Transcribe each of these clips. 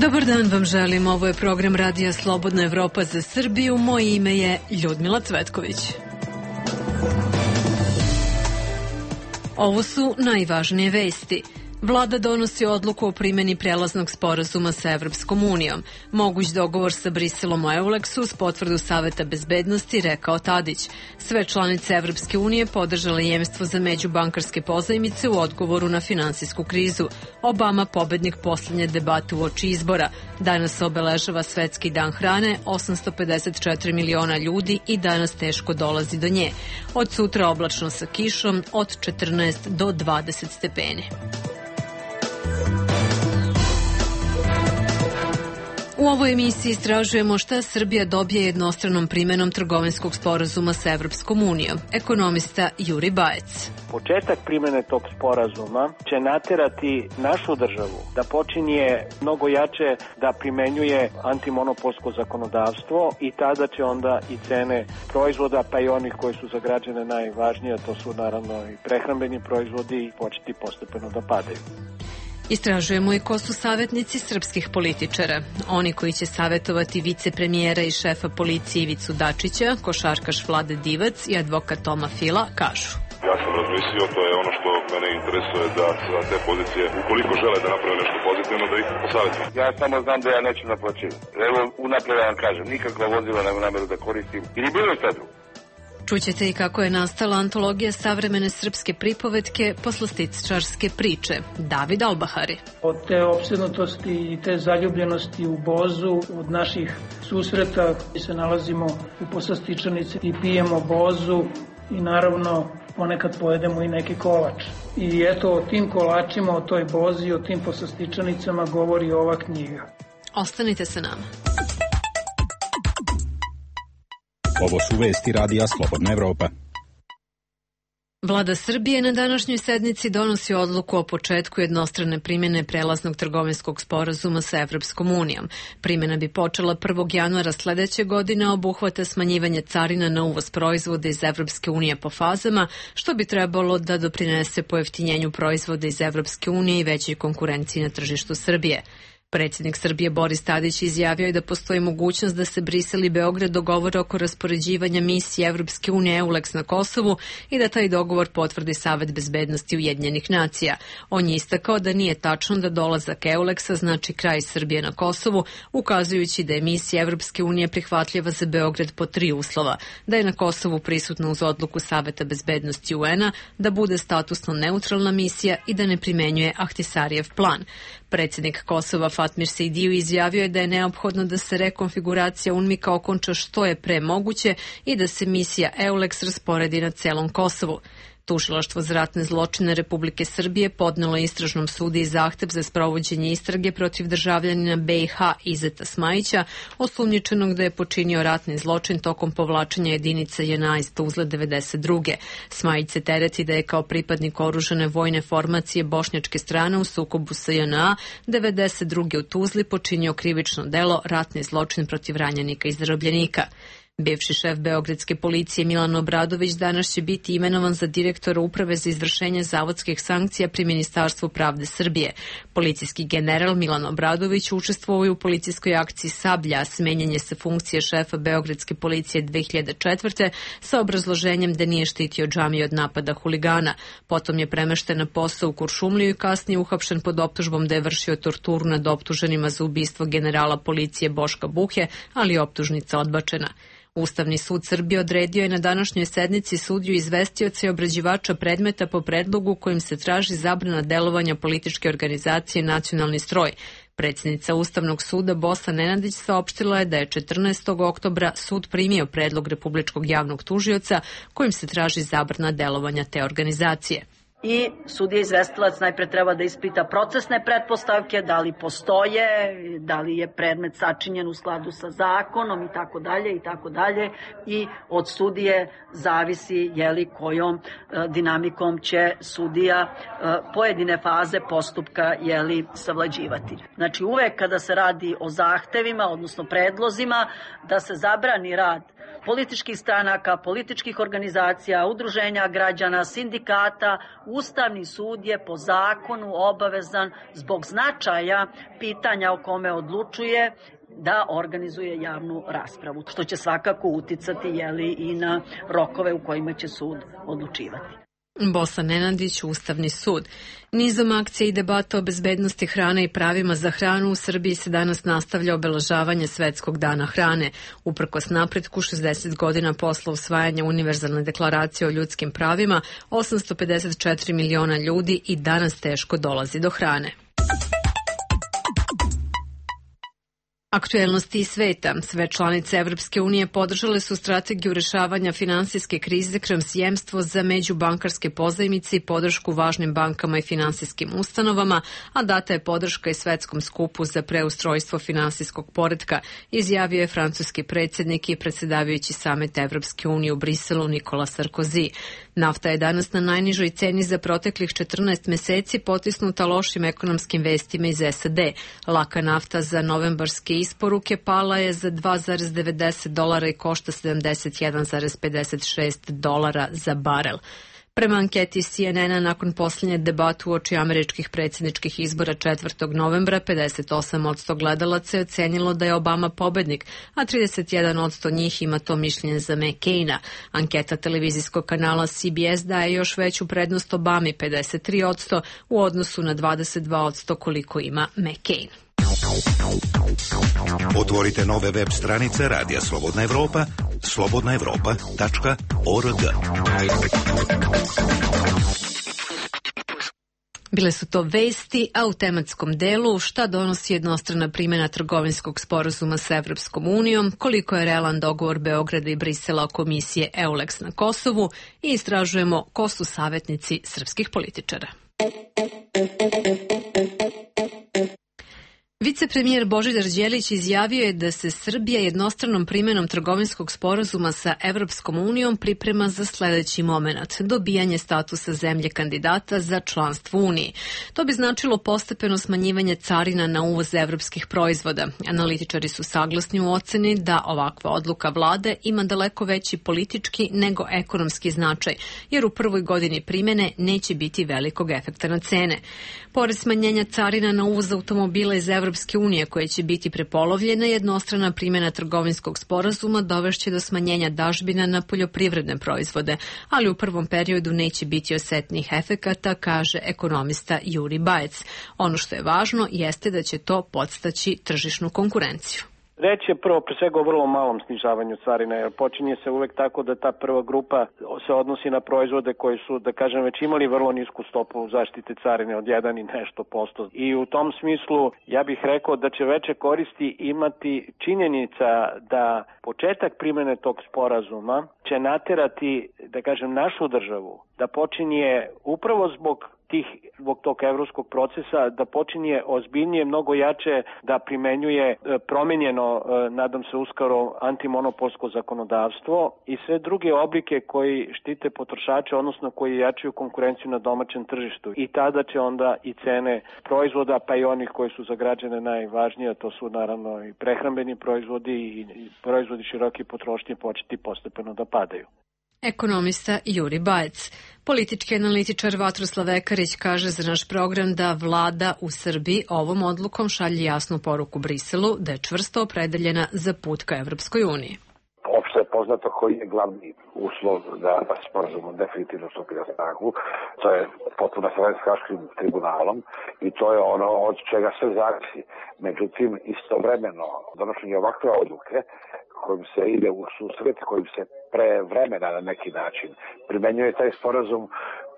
Dobar dan vam želim, ovo je program Radija Slobodna Evropa za Srbiju, moje ime je Ljudmila Cvetković. Ovo su najvažnije vesti. Vlada donosi odluku o primjeni prelaznog sporazuma sa Evropskom unijom. Moguć dogovor sa Briselom o Euleksu uz potvrdu Saveta bezbednosti, rekao Tadić. Sve članice Evropske unije podržale jemstvo za međubankarske pozajmice u odgovoru na finansijsku krizu. Obama pobednik poslednje debate uoči izbora. Danas obeležava Svetski dan hrane, 854 miliona ljudi i danas teško dolazi do nje. Od sutra oblačno sa kišom od 14 do 20 stepeni. U ovoj emisiji istražujemo šta Srbija dobije jednostranom primjenom trgovinskog sporazuma sa Evropskom unijom. Ekonomista Juri Bajec. Početak primjene tog sporazuma će naterati našu državu da počinje mnogo jače da primenjuje antimonopolsko zakonodavstvo i tada će onda i cene proizvoda, pa i onih koji su za građane najvažnije, to su naravno i prehrambeni proizvodi, početi postepeno da padaju. Istražujemo i ko su savjetnici srpskih političara. Oni koji će savjetovati vicepremijera i šefa policije Ivicu Dačića, košarkaš Vlade Divac i advokat Toma Fila kažu. Ja sam razmislio, to je ono što mene interesuje da sa te pozicije, ukoliko žele da naprave nešto pozitivno, da ih posavjetujem. Ja samo znam da ja neću naplaćivati. Evo, unapred vam kažem, nikakva vozila nema nameru da koristim. Ili bilo šta drugo. Čućete i kako je nastala antologija savremene srpske pripovetke Poslastičarske priče. David Albahari. Od te opsednutosti i te zaljubljenosti u bozu, od naših susreta se nalazimo u Poslastičarnici i pijemo bozu i naravno ponekad pojedemo i neki kolač. I eto o tim kolačima, o toj bozi, o tim Poslastičarnicama govori ova knjiga. Ostanite sa nama. Ovo su vesti Radija Slobodna Evropa. Vlada Srbije na današnjoj sednici donosi odluku o početku jednostrane primjene prelaznog trgovinskog sporazuma sa Evropskom unijom. Primjena bi počela 1. januara sledeće godine, obuhvata smanjivanje carina na uvoz proizvoda iz Evropske unije po fazama, što bi trebalo da doprinese pojeftinjenju proizvoda iz Evropske unije i većoj konkurenciji na tržištu Srbije. Predsjednik Srbije Boris Tadić izjavio je da postoji mogućnost da se Brisel i Beograd dogovore oko raspoređivanja misije Evropske unije EULEX na Kosovu i da taj dogovor potvrdi Savet bezbednosti Ujedinjenih nacija. On je istakao da nije tačno da dolazak EULEX-a znači kraj Srbije na Kosovu, ukazujući da je misija Evropske unije prihvatljiva za Beograd po 3 uslova: da je na Kosovu prisutna uz odluku Saveta bezbednosti UN-a, da bude statusno neutralna misija i da ne primenjuje Ahtisarijev plan. Predsjednik Kosova Fatmir Sejdiju izjavio je da je neophodno da se rekonfiguracija UNMIK-a okonča što je pre moguće i da se misija EULEX rasporedi na celom Kosovu. Tužilaštvo za ratne zločine Republike Srbije podnelo istražnom sudu i zahtev za sprovođenje istrage protiv državljanina BiH Izeta Smajića, osumnjičenog da je počinio ratni zločin tokom povlačenja jedinica JNA iz Tuzle 92. Smajić se tereti da je kao pripadnik oružane vojne formacije bošnjačke strane u sukobu sa JNA 92. u Tuzli počinio krivično delo ratni zločin protiv ranjenika i zarobljenika. Bivši šef beogradske policije Milan Obradović danas će biti imenovan za direktora Uprave za izvršenje zavodskih sankcija pri Ministarstvu pravde Srbije. Policijski general Milan Obradović učestvovao je u policijskoj akciji Sablja, smenjen je sa funkcije šefa beogradske policije 2004. sa obrazloženjem da nije štitio džamiju od napada huligana. Potom je premešten na posao u Kuršumliju i kasnije uhapšen pod optužbom da je vršio torturu nad optuženima za ubistvo generala policije Boška Buhe, ali je optužnica odbačena. Ustavni sud Srbije odredio je na današnjoj sednici sudiju izvestioca i obrađivača predmeta po predlogu kojim se traži zabrana delovanja političke organizacije Nacionalni stroj. Predsjednica Ustavnog suda Bosna Nenadić saopštila je da je 14. oktobra sud primio predlog Republičkog javnog tužioca kojim se traži zabrana delovanja te organizacije. I sudija izvestilac najpre treba da ispita procesne pretpostavke, da li postoje, da li je predmet sačinjen u skladu sa zakonom i tako dalje i tako dalje. I od sudije zavisi kojom dinamikom će sudija pojedine faze postupka savlađivati. Znači uvek kada se radi o zahtevima, odnosno predlozima, da se zabrani rad političkih stranaka, političkih organizacija, udruženja građana, sindikata. Ustavni sud je po zakonu obavezan zbog značaja pitanja o kome odlučuje da organizuje javnu raspravu, što će svakako uticati i na rokove u kojima će sud odlučivati. Bosa Nenadić, Ustavni sud. Nizom akcija i debata o bezbednosti hrane i pravima za hranu u Srbiji se danas nastavlja obeležavanje Svetskog dana hrane. Uprkos napretku 60 godina posle usvajanja Univerzalne deklaracije o ljudskim pravima, 854 miliona ljudi i danas teško dolazi do hrane. Aktuelnosti iz sveta. Sve članice Evropske unije podržale su strategiju rešavanja finansijske krize kroz jemstvo za međubankarske pozajmice i podršku važnim bankama i finansijskim ustanovama, a data je podrška i svetskom skupu za preustrojstvo finansijskog poretka, izjavio je francuski predsjednik i predsjedavajući samet Evropske unije u Briselu Nikola Sarkozy. Nafta je danas na najnižoj ceni za proteklih 14 meseci, potisnuta lošim ekonomskim vestima iz SAD. Laka nafta za novembarske isporuke pala je za $2,90 i košta $71,56 za barel. Prema anketi CNN-a, nakon posljednje debate uoči američkih predsjedničkih izbora 4. novembra, 58% gledalaca je ocenilo da je Obama pobednik, a 31% njih ima to mišljenje za McCaina. Anketa televizijskog kanala CBS daje još veću prednost Obami, 53%, u odnosu na 22% koliko ima McCain. Otvorite nove web stranice Radija Slobodna Evropa, slobodnaevropa.org. Bile su to vesti, a u tematskom delu šta donosi jednostrana primjena trgovinskog sporazuma sa Evropskom unijom, koliko je realan dogovor Beograda i Brisela o komisije EULEX na Kosovu i istražujemo ko su savjetnici srpskih političara. Vicepremijer Božidar Đelić izjavio je da se Srbija jednostranom primjenom trgovinskog sporazuma sa Evropskom unijom priprema za sljedeći moment, dobijanje statusa zemlje kandidata za članstvo Uniji. To bi značilo postepeno smanjivanje carina na uvoz evropskih proizvoda. Analitičari su saglasni u oceni da ovakva odluka vlade ima daleko veći politički nego ekonomski značaj, jer u prvoj godini primjene neće biti velikog efekta na cene. Pored smanjenja carina na uvoz automobila iz Evropske unije koje će biti prepolovljena, jednostrana primjena trgovinskog sporazuma dovešće do smanjenja dažbina na poljoprivredne proizvode, ali u prvom periodu neće biti osetnih efekata, kaže ekonomista Juri Bajec. Ono što je važno jeste da će to podstaći tržišnu konkurenciju. Reč je prvo pre svega o vrlo malom snižavanju carina, jer počinje se uvek tako da ta prva grupa se odnosi na proizvode koji su, da kažem, već imali vrlo nisku stopu zaštite carine od 1 i nešto posto. I u tom smislu ja bih rekao da će veće koristi imati činjenica da početak primjene tog sporazuma će naterati, da kažem, našu državu da počinje upravo zbog tog evropskog procesa, da počinje ozbiljnije, mnogo jače da primenjuje promenjeno, nadam se uskoro, antimonopolsko zakonodavstvo i sve druge oblike koji štite potrošače, odnosno koji jačaju konkurenciju na domaćem tržištu. I tada će onda i cene proizvoda, pa i onih koji su za građane najvažnije, to su naravno i prehrambeni proizvodi i proizvodi široke potrošnje, početi postepeno da padaju. Ekonomista Juri Bajec. Politički analitičar Vatroslav Ekarić kaže za naš program da vlada u Srbiji ovom odlukom šalje jasnu poruku Briselu da je čvrsto opredeljena za put ka Evropskoj uniji. Opšte je poznato koji je glavni uslov da sporazum definitivno stupi na snagu. To je potpuno sa Haškim tribunalom i to je ono od čega se zavisi. Međutim, istovremeno donošenje ovakve odluke kojim se ide u susret, kojim se pre vremena na neki način primenjuje taj sporazum,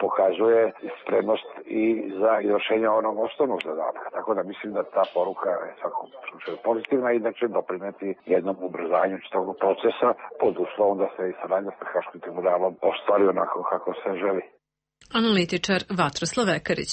pokazuje spremnost i za izvršenje onog osnovnog zadatka. Tako da mislim da ta poruka je svakom slučaju pozitivna i da će doprineti jednom ubrzanju čitavog procesa pod uslovom da se i saradnja sa Haškim tribunalom ostvari onako kako se želi. Analitičar Vatroslav Ekarić.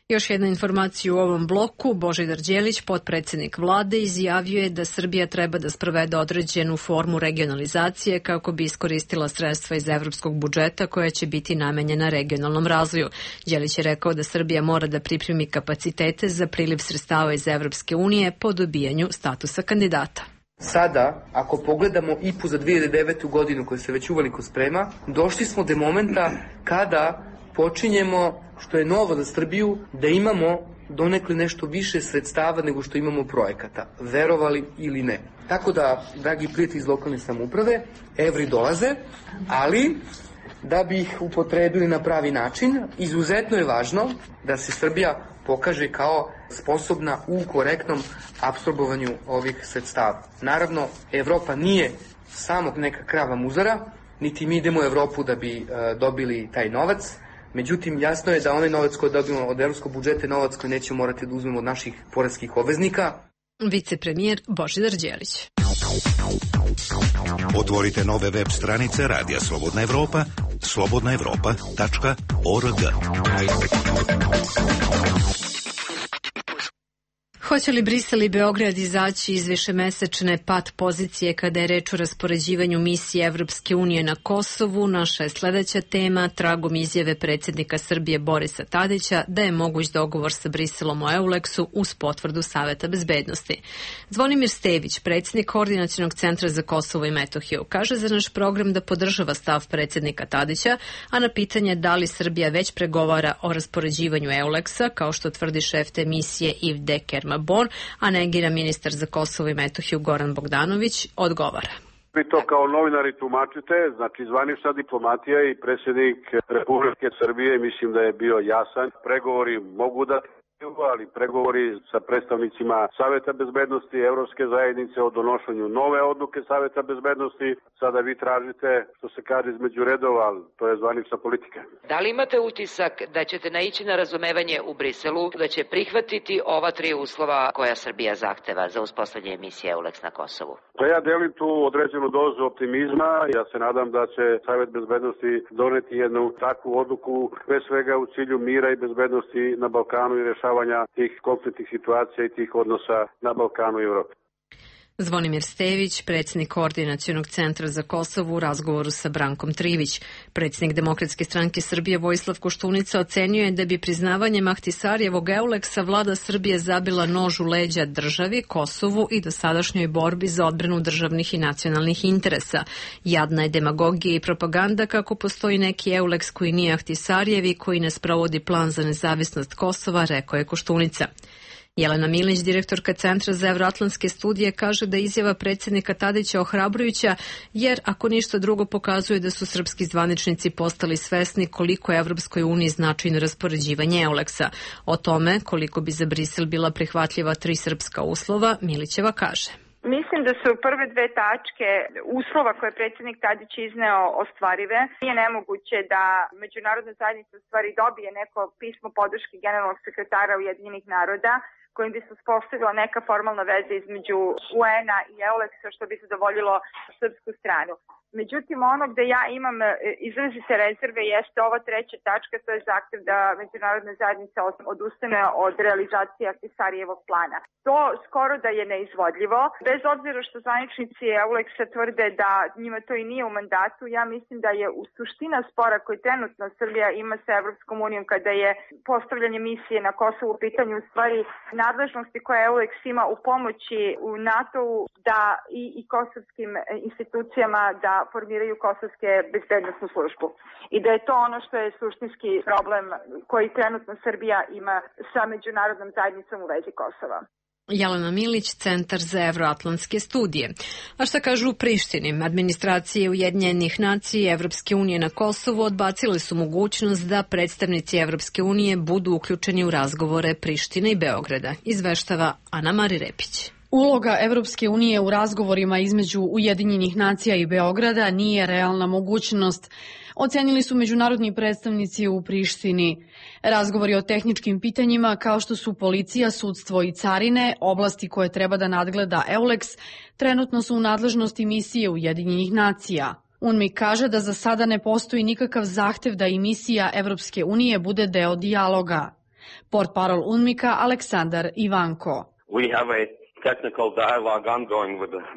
Još jedna informacija u ovom bloku. Božidar Đelić, potpredsjednik vlade, izjavio je da Srbija treba da sprovede određenu formu regionalizacije kako bi iskoristila sredstva iz evropskog budžeta koja će biti namenjena regionalnom razvoju. Đelić je rekao da Srbija mora da pripremi kapacitete za priliv sredstava iz Evropske unije po dobijanju statusa kandidata. Sada, ako pogledamo IPU za 2009. godinu koja se već uveliko sprema, došli smo do momenta kada počinjemo, što je novo za Srbiju, da imamo donekle nešto više sredstava nego što imamo projekata, verovali ili ne. Tako da, dragi prijatelji iz lokalne samouprave, evri dolaze, ali da bi ih upotrebili na pravi način, izuzetno je važno da se Srbija pokaže kao sposobna u korektnom apsorbovanju ovih sredstava. Naravno, Evropa nije samo neka krava muzara, niti mi idemo u Evropu da bi dobili taj novac. Međutim, jasno je da onaj novac koji dobijemo od evropskog budžeta je novac koji nećemo morati da uzmemo od naših poreskih obveznika. Vicepremijer Božidar Đelić. Otvorite nove web stranice Radija Slobodna Evropa, slobodnaevropa.org. Hoće li Brisel i Beograd izaći iz višemesečne pat pozicije kada je reč o raspoređivanju misije Evropske unije na Kosovu? Naša je sledeća tema, tragom izjave predsjednika Srbije Borisa Tadića da je moguć dogovor sa Briselom o EULEX-u uz potvrdu Saveta bezbednosti. Zvonimir Stević, predsjednik Koordinacionog centra za Kosovo i Metohiju, kaže za naš program da podržava stav predsjednika Tadića, a na pitanje da li Srbija već pregovara o raspoređivanju EULEX-a, kao što tvrdi šef te misije Yves de Kerma-Bon, a negira ministar za Kosovo i Metohiju Goran Bogdanović, odgovara. Vi to kao novinari tumačite, znači zvanična diplomatija i predsjednik Republike Srbije mislim da je bio jasan. Pregovori mogu da ali pregovori sa predstavnicima Saveta bezbednosti Evropske zajednice o donošenju nove odluke Saveta bezbednosti. Sada vi tražite, što se kaže, između redova, ali to je zvanična politika. Da li imate utisak da ćete naići na razumevanje u Briselu, da će prihvatiti ova 3 uslova koja Srbija zahteva za uspostavljanje misije EULEX na Kosovu? Pa ja delim tu određenu dozu optimizma. Ja se nadam da će Savet bezbednosti doneti jednu takvu odluku, pre svega u cilju mira i bezbednosti na Balkanu i rešavanja tih konfliktnih situacija i tih odnosa na Balkanu i Evropi. Zvonimir Stević, predsjednik Koordinacionog centra za Kosovo u razgovoru sa Brankom Trivić. Predsjednik Demokratske stranke Srbije Vojislav Koštunica ocenio je da bi priznavanjem Ahtisarjevog EULEX-a vlada Srbije zabila nož u leđa državi, Kosovu i dosadašnjoj borbi za odbranu državnih i nacionalnih interesa. Jadna je demagogija i propaganda kako postoji neki EULEX koji nije Ahtisarjev i koji ne sprovodi plan za nezavisnost Kosova, rekao je Koštunica. Jelena Milić, direktorka Centra za evroatlantske studije, kaže da je izjava predsjednika Tadića ohrabrujuća, jer ako ništa drugo pokazuje da su srpski zvaničnici postali svesni koliko je Evropskoj uniji značajno raspoređivanje EULEX-a. O tome koliko bi za Brisel bila prihvatljiva 3 srpska uslova, Milićeva kaže. Mislim da su prve 2 tačke uslova koje je predsjednik Tadić izneo ostvarive. Nije nemoguće da međunarodna zajednica u stvari dobije neko pismo podrške generalnog sekretara Ujedinjenih naroda kojim bi se uspostavila neka formalna veza između UN-a i EULEX-a što bi zadovoljilo srpsku stranu. Međutim, ono gde ja imam izrazite rezerve jeste ova 3. tačka, to je zahtev da međunarodna zajednica odustane od realizacije Ahtisarijevog plana. To skoro da je neizvodljivo. Bez obzira što zvaničnici EULEX-a tvrde da njima to i nije u mandatu, ja mislim da je u suština spora koji trenutno Srbija ima sa Evropskom unijom kada je postavljanje misije na Kosovu u pitanju u stvari nadležnosti koje EULEX ima u pomoći u NATO-u da i kosovskim institucijama da formiraju kosovske bezbednosnu službu. I da je to ono što je suštinski problem koji trenutno Srbija ima sa međunarodnom zajednicom u vezi Kosova. Jelena Milić, Centar za evroatlantske studije. A šta kažu u Prištini? Administracije Ujedinjenih nacija i Evropske unije na Kosovu odbacile su mogućnost da predstavnici Evropske unije budu uključeni u razgovore Prištine i Beograda, izveštava Ana Mari Repić. Uloga Evropske unije u razgovorima između Ujedinjenih nacija i Beograda nije realna mogućnost, ocenili su međunarodni predstavnici u Prištini. Razgovori o tehničkim pitanjima kao što su policija, sudstvo i carine, oblasti koje treba da nadgleda EULEX, trenutno su u nadležnosti misije Ujedinjenih nacija. UNMIK kaže da za sada ne postoji nikakav zahtev da i misija Evropske unije bude deo dijaloga. Portparol UNMIK-a Aleksandar Ivanko.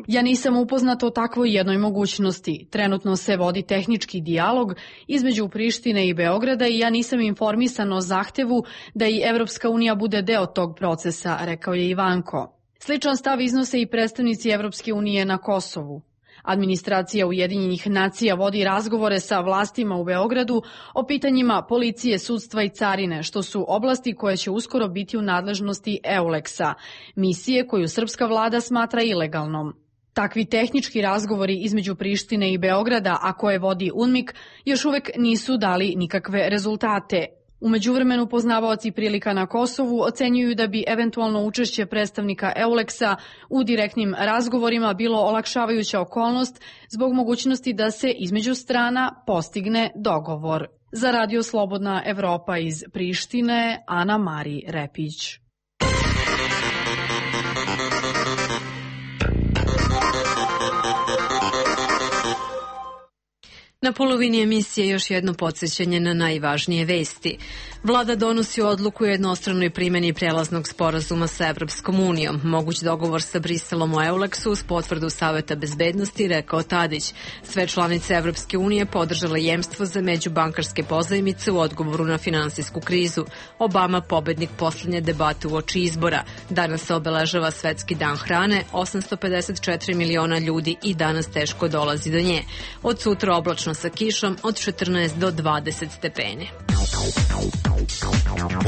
Ja nisam upoznat o takvoj jednoj mogućnosti. Trenutno se vodi tehnički dijalog između Prištine i Beograda i ja nisam informisan o zahtevu da i Evropska unija bude deo tog procesa, rekao je Ivanko. Sličan stav iznose i predstavnici Evropske unije na Kosovu. Administracija Ujedinjenih nacija vodi razgovore sa vlastima u Beogradu o pitanjima policije, sudstva i carine, što su oblasti koje će uskoro biti u nadležnosti EULEX-a, misije koju srpska vlada smatra ilegalnom. Takvi tehnički razgovori između Prištine i Beograda, a koje vodi UNMIK, još uvek nisu dali nikakve rezultate. U međuvremenu poznavaoci prilika na Kosovu ocenjuju da bi eventualno učešće predstavnika EULEX-a u direktnim razgovorima bilo olakšavajuća okolnost zbog mogućnosti da se između strana postigne dogovor. Za Radio Slobodna Evropa iz Prištine, Ana Mari Repić. Na polovini emisije još jedno podsjećanje na najvažnije vesti. Vlada donosi odluku o jednostranoj primjeni prelaznog sporazuma sa Evropskom unijom. Moguć dogovor sa Briselom o EULEX-u uz potvrdu Saveta bezbednosti, rekao Tadić. Sve članice Evropske unije podržale jemstvo za međubankarske pozajmice u odgovoru na finansijsku krizu. Obama pobednik poslednje debate uoči izbora. Danas se obeležava Svetski dan hrane, 854 miliona ljudi i danas teško dolazi do nje. Od sutra oblačno sa kišom od 14 do 20 stepeni.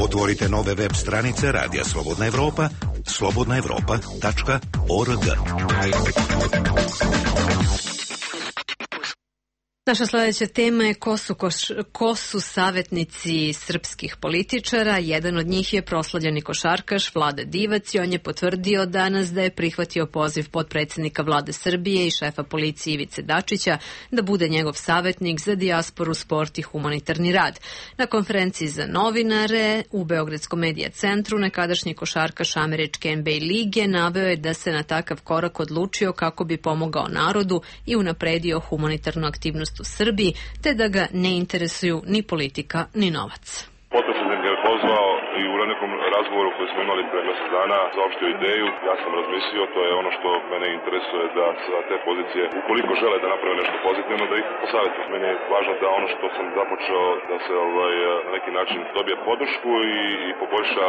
Otvorite nove web stranice Radija Slobodna Evropa, slobodnaevropa.org. Naša sledeća tema je ko su savjetnici srpskih političara. Jedan od njih je proslavljeni košarkaš Vlada Divac i on je potvrdio danas da je prihvatio poziv potpredsednika Vlade Srbije i šefa policije Ivice Dačića da bude njegov savjetnik za dijasporu, sport i humanitarni rad. Na konferenciji za novinare u Beogradskom medija centru nekadašnji košarkaš američke NBA lige naveo je da se na takav korak odlučio kako bi pomogao narodu i unapredio humanitarnu aktivnost u Srbiji, te da ga ne interesuju ni politika, ni novac. Potpredsjednik je pozvao i u nekom razgovoru koji smo imali pre mjesec dana zaopštio ideju. Ja sam razmislio, to je ono što mene interesuje, da sa te pozicije, ukoliko žele da naprave nešto pozitivno, da ih posavjetuju. Meni je važno da ono što sam započeo da se na neki način dobije podršku i poboljša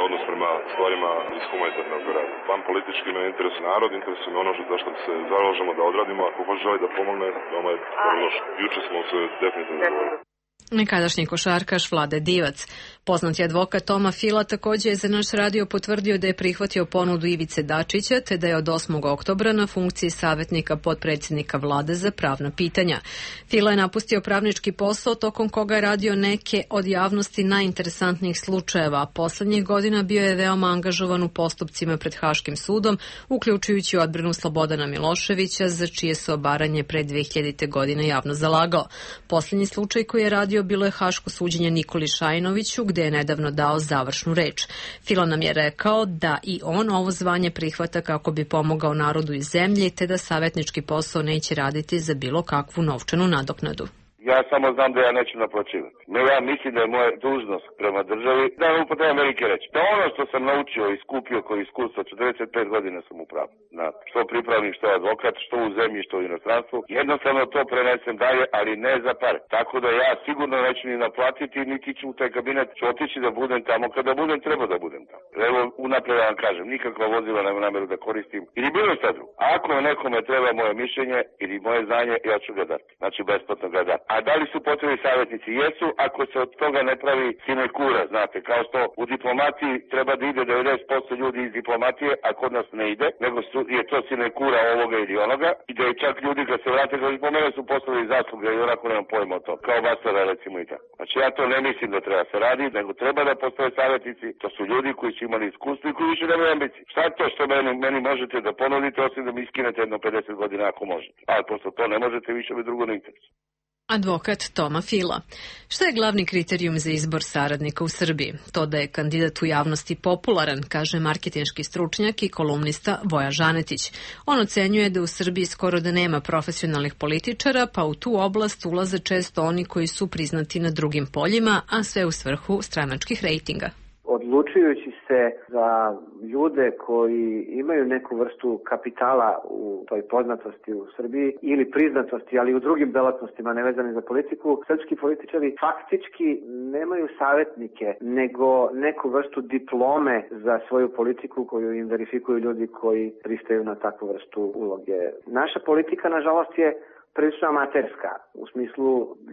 odnos prema stvarima iz humanitarnog rada. Van politički me interesuje narod, interesuje me ono za što se zalažemo da odradimo. Ako hoće želi da pomogne, veoma je loš. Juče smo se definitivno dogovorili. Nekadašnji košarkaš Vlade Divac. Poznati advokat Toma Fila takođe je za naš radio potvrdio da je prihvatio ponudu Ivice Dačića, te da je od 8. oktobra na funkciji savjetnika potpredsjednika Vlade za pravna pitanja. Fila je napustio pravnički posao tokom koga je radio neke od javnosti najinteresantnijih slučajeva, a poslednjih godina bio je veoma angažovan u postupcima pred Haškim sudom, uključujući odbranu Slobodana Miloševića, za čije se obaranje pre 2000. godine javno zalagao. Poslednji slučaj koji je radio bilo je haško suđenje Nikoli Šajnoviću, gde je nedavno dao završnu reč. Fila nam je rekao da i on ovo zvanje prihvata kako bi pomogao narodu i zemlji, te da savjetnički posao neće raditi za bilo kakvu novčanu nadoknadu. Ja samo znam da ja neću naplaćivati. Ja mislim da je moja dužnost prema državi, da vam upotrebam Amerike reći, da ono što sam naučio i skupio kao iskustvo, 45 godina sam u pravu. Što pripravnik, što advokat, što u zemlji, što u inostranstvu, jednostavno to prenesem dalje, ali ne za pare. Tako da ja sigurno neću ni naplatiti, niti ću u taj kabinet, ću otići da budem tamo kada budem, treba da budem tamo. Evo, unapred vam kažem, nikakva vozila nema nameru da koristim, ili bilo šta drugo. Ako nekome treba moje mišljenje ili moje znanje, ja ću ga dati. Znači, besplatno ga dati. A da li su potrebni savjetnici? Jesu, ako se od toga ne pravi sinekura, znate, kao što u diplomatiji treba da ide 90% ljudi iz diplomatije, a kod nas ne ide, nego je to sinekura ovoga ili onoga, i da je čak ljudi kad se vrate, kad po mene su poslali zasluge i onako nemam pojma o to, kao Bastara recimo i tako. Znači ja to ne mislim da treba se radi, nego treba da postoje savjetnici, to su ljudi koji su imali iskustvo i koji više nemaju ambicije. Šta je to što meni možete da ponudite, osim da mi iskinete jedno 50 godina ako možete. Ali pošto to ne možete, više mi drugo ne interesuje. Advokat Toma Fila. Šta je glavni kriterijum za izbor saradnika u Srbiji? To da je kandidat u javnosti popularan, kaže marketinški stručnjak i kolumnista Voja Žanetić. On ocenjuje da u Srbiji skoro da nema profesionalnih političara, pa u tu oblast ulaze često oni koji su priznati na drugim poljima, a sve u svrhu stranačkih rejtinga. Od odlučujući se za ljude koji imaju neku vrstu kapitala u toj poznatosti u Srbiji ili priznatosti, ali i u drugim delatnostima nevezane za politiku, srpski političari faktički nemaju savjetnike, nego neku vrstu diplome za svoju politiku koju im verifikuju ljudi koji pristaju na takvu vrstu uloge. Naša politika, nažalost, je prilično amaterska. U smislu,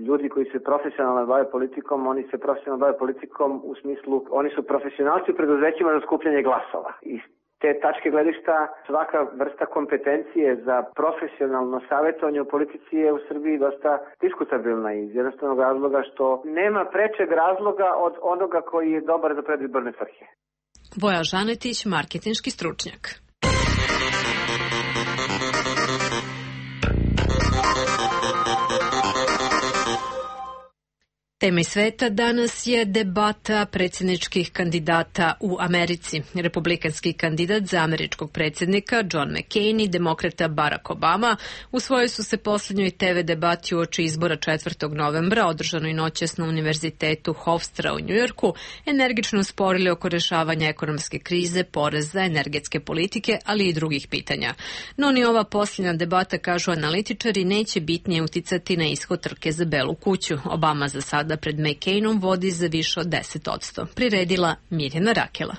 ljudi koji se profesionalno bave politikom, oni se profesionalno bave politikom u smislu, oni su profesionalci u preduzećima za skupljanje glasova. Iz te tačke gledišta svaka vrsta kompetencije za profesionalno savjetovanje u politici je u Srbiji dosta diskutabilna iz jednostavnog razloga što nema prečeg razloga od onoga koji je dobar za predizborne svrhe. Voja Žanetić, marketinški stručnjak. Tema sveta danas je debata predsjedničkih kandidata u Americi. Republikanski kandidat za američkog predsjednika John McCain i demokrata Barack Obama usvojili su se posljednjoj TV debati uoči izbora 4. novembra, održanoj noćas na Univerzitetu Hofstra u Njujorku, energično sporili oko rješavanja ekonomske krize, poreza, energetske politike, ali i drugih pitanja. No ni ova posljednja debata, kažu analitičari, neće bitnije uticati na ishod trke za Belu kuću. Obama za sada pred McCainom vodi za više od 10%. Priredila Mirjana Rakela.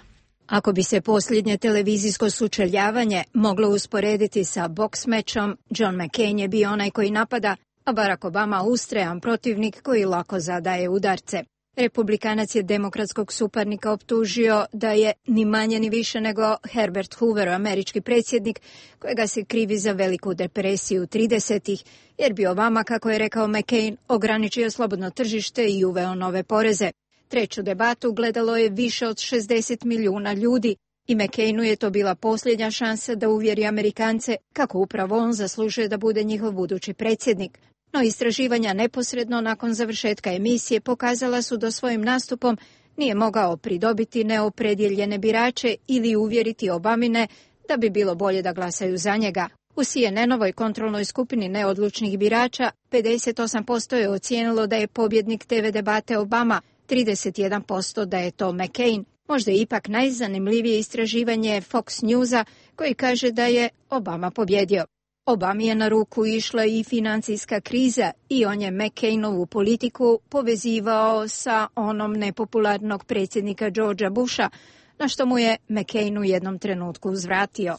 Ako bi se posljednje televizijsko sučeljavanje moglo usporediti sa boks mečom, John McCain je bio onaj koji napada, a Barack Obama ustrajan protivnik koji lako zadaje udarce. Republikanac je demokratskog suparnika optužio da je ni manje ni više nego Herbert Hoover, američki predsjednik, kojega se krivi za veliku depresiju 30-ih, jer bi Obama, kako je rekao McCain, ograničio slobodno tržište i uveo nove poreze. Treću debatu gledalo je više od 60 milijuna ljudi i McCainu je to bila posljednja šansa da uvjeri Amerikance kako upravo on zaslužuje da bude njihov budući predsjednik. No istraživanja neposredno nakon završetka emisije pokazala su da svojim nastupom nije mogao pridobiti neopredjeljene birače ili uvjeriti Obamine da bi bilo bolje da glasaju za njega. U CNN-ovoj kontrolnoj skupini neodlučnih birača 58% je ocijenilo da je pobjednik TV debate Obama, 31% da je to McCain. Možda je ipak najzanimljivije istraživanje Fox Newsa koji kaže da je Obama pobjedio. Obami je na ruku išla i financijska kriza i on je McCainovu politiku povezivao sa onom nepopularnog predsjednika Georgea Busha, na što mu je McCain u jednom trenutku uzvratio.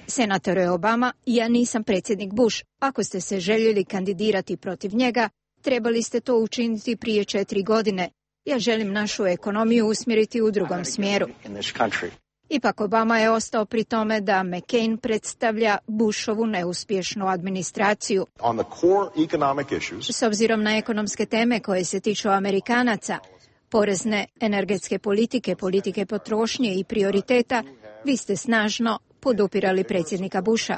Senatore Obama, ja nisam predsjednik Bush. Ako ste se željeli kandidirati protiv njega, trebali ste to učiniti prije 4 godine. Ja želim našu ekonomiju usmjeriti u drugom smjeru. Ipak Obama je ostao pri tome da McCain predstavlja Bushovu neuspješnu administraciju. S obzirom na ekonomske teme koje se tiču Amerikanaca, porezne, energetske politike, politike potrošnje i prioriteta, vi ste snažno podupirali predsjednika Busha.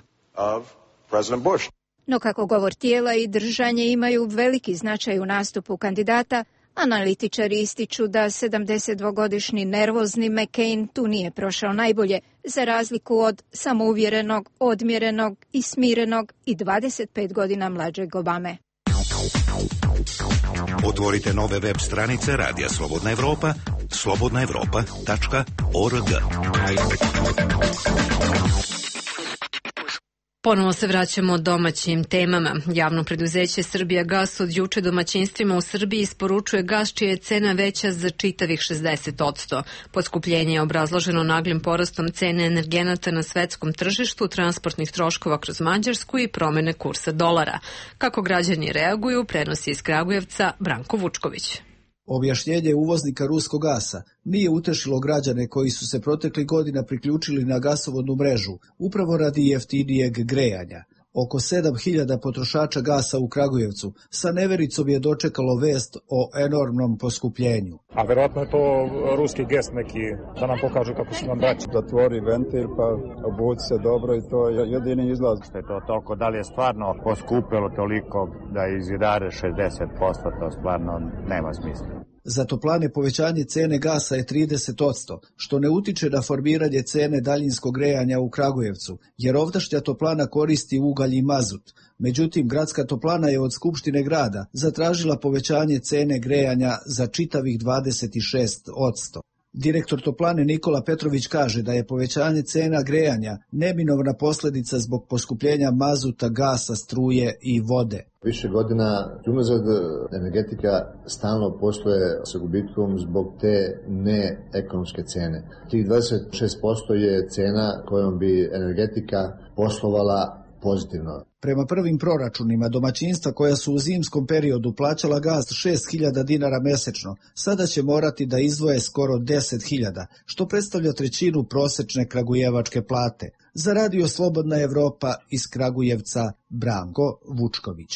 No kako govor tijela i držanje imaju veliki značaj u nastupu kandidata, analitičari ističu da 72-godišnji nervozni McCain tu nije prošao najbolje, za razliku od samouvjerenog, odmjerenog i smirenog i 25 godina mlađeg Obame. Otvorite nove web stranice Radija Slobodna Evropa, slobodnaevropa.org. Ponovo se vraćamo domaćim temama. Javno preduzeće Srbijagas od juče domaćinstvima u Srbiji isporučuje gas čija je cena veća za čitavih 60%. Poskupljenje je obrazloženo naglim porastom cene energenata na svetskom tržištu, transportnih troškova kroz Mađarsku i promjene kursa dolara. Kako građani reaguju, prenosi iz Kragujevca Branko Vučković. Objašnjenje uvoznika ruskog gasa nije utešilo građane koji su se proteklih godina priključili na gasovodnu mrežu, upravo radi jeftinijeg grejanja. Oko 7.000 potrošača gasa u Kragujevcu sa nevericom je dočekalo vest o enormnom poskupljenju. A verovatno je to ruski gest neki, da nam pokažu kako su nam braći. Zatvori ventil pa obuci se dobro i to je jedini izlaz. Što je to toliko, da li je stvarno poskupilo toliko da izidare 60%, to stvarno nema smisla. Za toplane povećanje cene gasa je 30%, što ne utiče na formiranje cene daljinskog grejanja u Kragujevcu, jer ovdašnja toplana koristi ugalj i mazut. Međutim, gradska toplana je od Skupštine grada zatražila povećanje cene grejanja za čitavih 26%. Direktor toplane Nikola Petrović kaže da je povećanje cena grejanja neminovna posljedica zbog poskupljenja mazuta, gasa, struje i vode. Više godina unazad energetika stalno posluje sa gubitkom zbog te neekonomske cene. Tih 26% je cena kojom bi energetika poslovala pozitivno. Prema prvim proračunima, domaćinstva koja su u zimskom periodu plaćala gas 6.000 dinara mesečno, sada će morati da izdvoje skoro 10.000, što predstavlja trećinu prosečne kragujevačke plate. Za Radio Slobodna Evropa iz Kragujevca, Branko Vučković.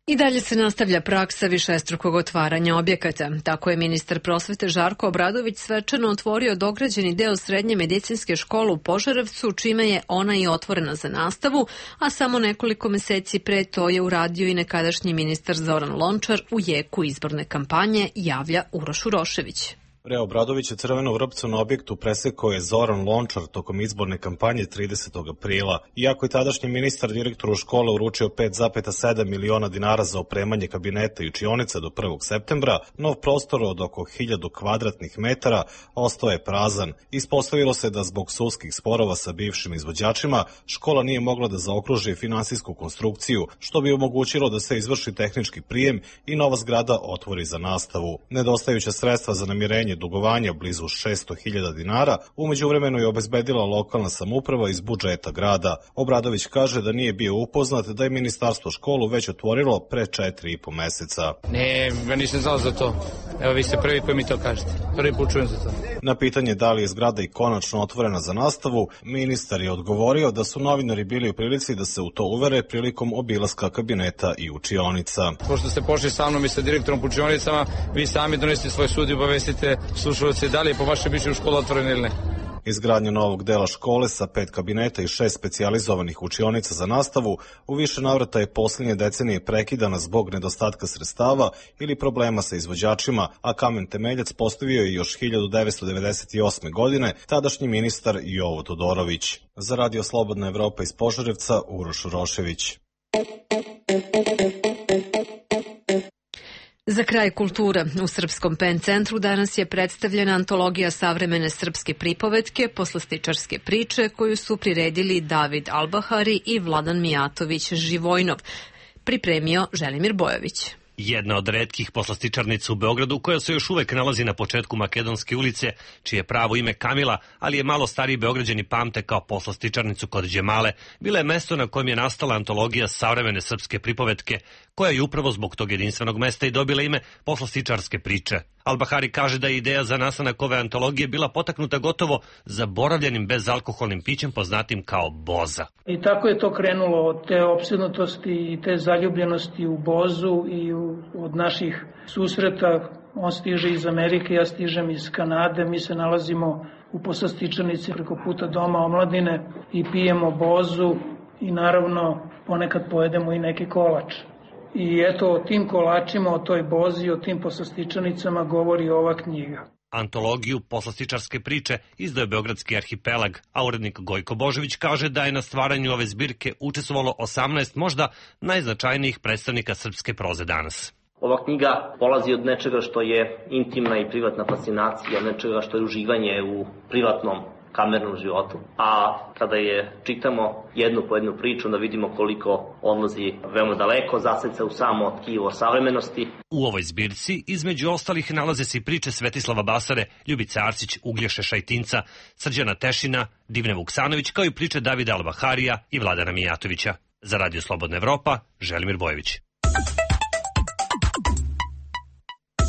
I dalje se nastavlja praksa višestrukog otvaranja objekata. Tako je ministar prosvete Žarko Obradović svečano otvorio dograđeni deo srednje medicinske škole u Požarevcu, čime je ona i otvorena za nastavu, a samo nekoliko meseci pre to je uradio i nekadašnji ministar Zoran Lončar u jeku izborne kampanje, javlja Uroš Urošević. Re Obradović je crvenu vrpcu na objektu presekao je Zoran Lončar tokom izborne kampanje 30. aprila. Iako je tadašnji ministar direktoru škole uručio 5,7 miliona dinara za opremanje kabineta i učionica do 1. septembra, nov prostor od oko 1000 kvadratnih metara ostao je prazan. Ispostavilo se da zbog sudskih sporova sa bivšim izvođačima škola nije mogla da zaokruži finansijsku konstrukciju, što bi omogućilo da se izvrši tehnički prijem i nova zgrada otvori za nastavu. Nedostajuća sredstva za namirenje dugovanja blizu 600.000 dinara u međuvremenu je obezbedila lokalna samouprava iz budžeta grada. Obradović kaže da nije bio upoznat da je ministarstvo školu već otvorilo pre 4,5 meseca. Ne, ja nisam znao za to. Evo vi ste prvi koji mi to kažete. Prvi put čujem za to. Na pitanje da li je zgrada i konačno otvorena za nastavu, ministar je odgovorio da su novinari bili u prilici da se u to uvere prilikom obilaska kabineta i učionica. Pošto ste pošli sa mnom i sa direktorom po učionicama, vi sami donesite svoj sud i obavestite slušalce da li je po vašem mišljenju škola otvorena ili ne. Izgradnja novog dela škole sa 5 kabineta i 6 specijalizovanih učionica za nastavu u više navrata je posljednje decenije prekidana zbog nedostatka sredstava ili problema sa izvođačima, a kamen temeljac postavio je još 1998. godine tadašnji ministar Jovo Todorović. Za Radio Slobodna Evropa iz Požarevca, Uroš Urošević. Za kraj kultura, u Srpskom PEN centru danas je predstavljena antologija savremene srpske pripovetke, poslastičarske priče, koju su priredili David Albahari i Vladan Mijatović Živojnov. Pripremio Želimir Bojović. Jedna od retkih poslastičarnica u Beogradu koja se još uvek nalazi na početku Makedonske ulice, čije pravo ime Kamila, ali je malo stariji Beograđani pamte kao poslastičarnicu kod Đemale, bila je mesto na kojem je nastala antologija savremene srpske pripovetke, koja je upravo zbog tog jedinstvenog mesta i dobila ime poslastičarske priče. Albahari kaže da je ideja za nastanak ove antologije bila potaknuta gotovo zaboravljenim bezalkoholnim pićem poznatim kao boza. I tako je to krenulo od te opsednutosti i te zaljubljenosti u bozu i od naših susreta. On stiže iz Amerike, ja stižem iz Kanade, mi se nalazimo u poslastičarnici preko puta Doma omladine i pijemo bozu i naravno ponekad pojedemo i neki kolač. I eto, o tim kolačima, o toj bozi, o tim poslastičarnicama govori ova knjiga. Antologiju poslastičarske priče izdao je Beogradski arhipelag, a urednik Gojko Božović kaže da je na stvaranju ove zbirke učestvovalo 18 možda najznačajnijih predstavnika srpske proze danas. Ova knjiga polazi od nečega što je intimna i privatna fascinacija, od nečega što je uživanje u privatnom kamernom životu. A kada je čitamo jednu po jednu priču, da vidimo koliko odlazi veoma daleko, zaseca u samo tkivo savremenosti. U ovoj zbirci, između ostalih, nalaze se i priče Svetislava Basare, Ljubice Arsić, Uglješe Šajtinca, Srđana Tešina, Divne Vuksanović, kao i priče Davida Albaharija i Vladana Mijatovića. Za Radio Slobodna Evropa, Želimir Bojović.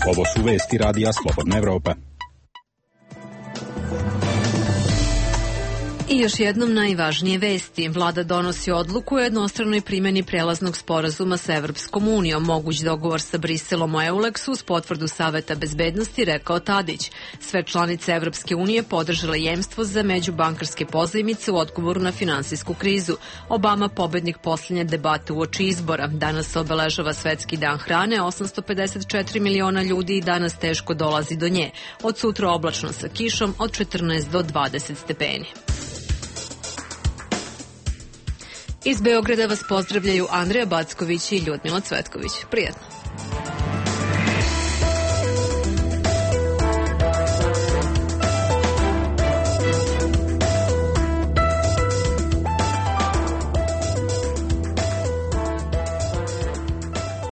Ovo su vesti Radija Slobodna Evropa. I još jednom najvažnije vesti. Vlada donosi odluku o jednostranoj primjeni prelaznog sporazuma sa Evropskom unijom. Moguć dogovor sa Briselom o EULEX-u uz potvrdu Saveta bezbednosti, rekao Tadić. Sve članice Evropske unije podržale jemstvo za međubankarske pozajmice u odgovoru na finansijsku krizu. Obama pobednik poslednje debate uoči izbora. Danas se obeležava Svetski dan hrane, 854 miliona ljudi i danas teško dolazi do nje. Od sutra oblačno sa kišom od 14 do 20 stepeni. Iz Beograda vas pozdravljaju Andreja Backović i Ljudmila Cvetković. Prijetno.